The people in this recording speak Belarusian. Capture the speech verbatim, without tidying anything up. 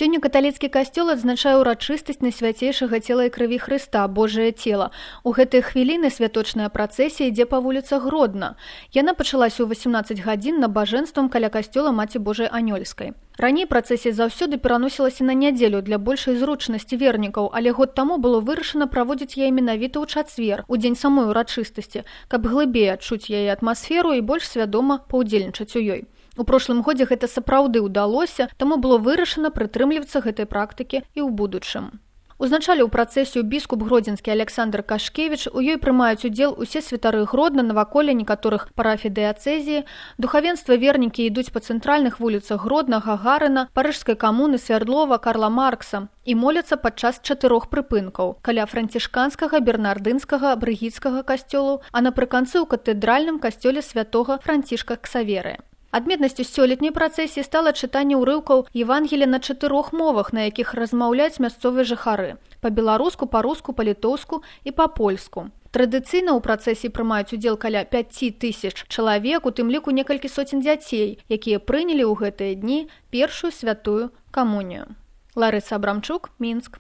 Сёння каталіцкі касцёл адзначае ўрачыстасць найсвяцейшага цела і крыві Хрыста, Божае цела. У гэтыя хвіліны святочная працэсія ідзе па вуліцах Гродна. Яна пачалася ў васемнаццаць гадзін набажэнствам каля касцёла Маці Божай Анёльскай. Раней працэсія заўсёды пераносілася на нядзелю для большай зручнасці вернікаў, але год таму было вырашана праводзіць яе менавіта ў чацвер, у дзень самой урачыстасці, каб глыбей адчуць яе атмасферу і больш свядома паўдзельнічаць у ёй. У прошлым годзе гэта сапраўды ўдалося, таму было вырашана прытрымлівацца гэтай практыкі і ў будучым. Узначаліў працэсію біскуп гродзенскі Александр Кашкевіч, у ёй прымаюць удзел усе святары Гродна, наваколля некаторых парафій дыяцэзіі, духавенства вернікі ідуць па цэнтральных вуліцах Гродна, Гагарына, Парыжскай камуны, Свярдлова, Карла Маркса і моляцца падчас чатырох прыпынкаў каля францішканскага, бернардынскага, брыгіцкага касцёлаў, а напрыканцы ў катэдральным касцёле святога Францішка Ксаверыя. Адметнасцю сёлетняй працэсіі стала чытанне ўрыўкаў Евангелія на чатырох мовах, на якіх размаўляюць мясцовыя жыхары – па-беларуску, па-руску, па-літоўску і па-польску. Традыцыйна ў працэсіі прымаюць удзел каля пяці тысяч чалавек, у тым ліку некалькі соцень дзяцей, якія прынялі ў гэтыя дні першую святую камунію. Ларыса Абрамчук, Мінск.